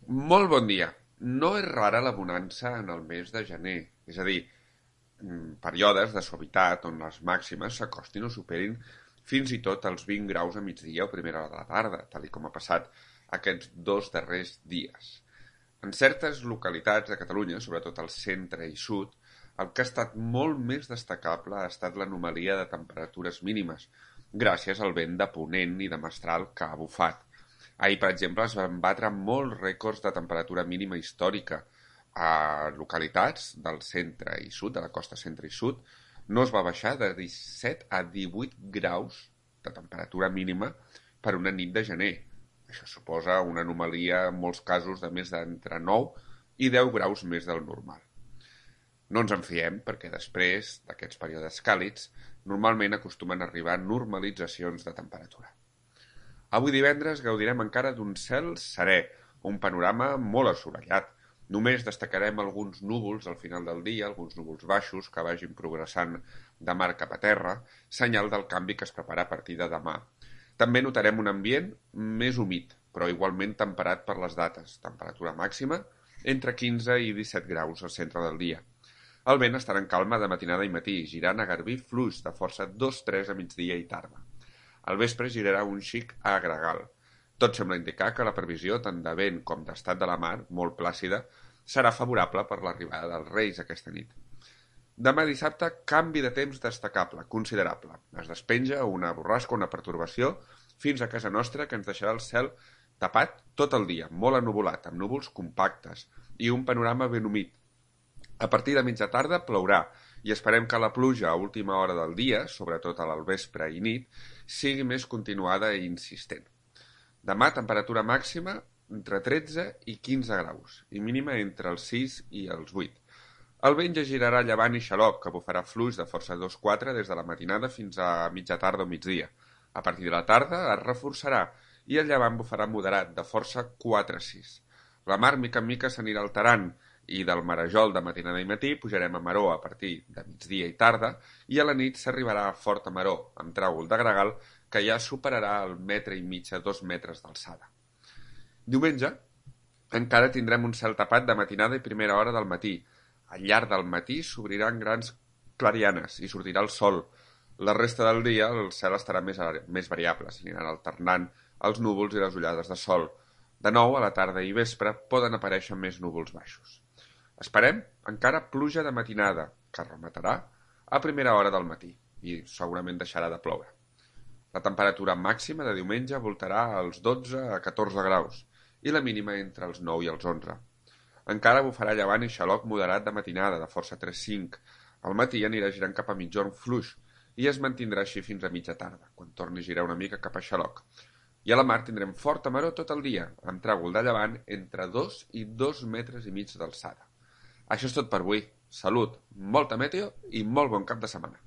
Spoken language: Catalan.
Molt bon dia. No és rara la bonança en el mes de gener, és a dir, períodes de suavitat on les màximes s'acostin o superin fins i tot els 20 graus a migdia o primera hora de la tarda, tal i com ha passat aquests dos darrers dies. En certes localitats de Catalunya, sobretot al centre i sud, el que ha estat molt més destacable ha estat l'anomalia de temperatures mínimes, gràcies al vent de ponent i de mestral que ha bufat. Ahir, per exemple, es van batre molts rècords de temperatura mínima històrica a localitats del centre i sud, de la costa centre i sud. No es va baixar de 17 a 18 graus de temperatura mínima per una nit de gener. Això suposa una anomalia en molts casos de més d'entre 9 i 10 graus més del normal. No ens en fiem perquè després d'aquests períodes càlids normalment acostumen a arribar normalitzacions de temperatura. Avui divendres gaudirem encara d'un cel serè, un panorama molt assolellat. Només destacarem alguns núvols al final del dia, alguns núvols baixos que vagin progressant de mar cap a terra, senyal del canvi que es prepara a partir de demà. També notarem un ambient més humit, però igualment temperat per les dates, temperatura màxima entre 15 i 17 graus al centre del dia. El vent estarà en calma de matinada i matí, girant a garbí fluix de força 2-3 a migdia i tarda. Al vespre girarà un xic a gregal. Tot sembla indicar que la previsió, tant de vent com d'estat de la mar, molt plàcida, serà favorable per l'arribada dels Reis aquesta nit. Demà dissabte, canvi de temps destacable, considerable. Es despenja una borrasca, una pertorbació, fins a casa nostra, que ens deixarà el cel tapat tot el dia, molt ennuvolat, amb núvols compactes i un panorama ben humit. A partir de mitja tarda plourà i esperem que la pluja a última hora del dia, sobretot al vespre i nit, sigui més continuada i insistent. Demà temperatura màxima entre 13 i 15 graus i mínima entre els 6 i els 8. El vent ja girarà llevant i xaloc, que bufarà fluix de força 2-4 des de la matinada fins a mitja tarda o migdia. A partir de la tarda es reforçarà i el llevant bufarà moderat de força 4-6. La mar mica en mica s'anirà alterant i del marejol de matinada i matí pujarem a maró a partir de migdia i tarda i a la nit s'arribarà a forta maró, amb tràgol de gregal que ja superarà el metre i mig a 2 metres d'alçada. Diumenge encara tindrem un cel tapat de matinada i primera hora del matí. Al llarg del matí s'obriran grans clarianes i sortirà el sol. La resta del dia el cel estarà més variable, s'aniran alternant els núvols i les ullades de sol. De nou, a la tarda i vespre poden aparèixer més núvols baixos. Esperem encara pluja de matinada, que rematarà a primera hora del matí i segurament deixarà de ploure. La temperatura màxima de diumenge voltarà als 12 a 14 graus i la mínima entre els 9 i els 11. Encara bufarà llevant i xaloc moderat de matinada, de força 3-5. Al matí anirà girant cap a mitjorn fluix i es mantindrà així fins a mitja tarda, quan torni a girar una mica cap a xaloc. I a la mar tindrem forta maró tot el dia, amb tràgol de llevant entre 2 i 2 metres i mig d'alçada. Això és tot per avui. Salut, molta meteo i molt bon cap de setmana.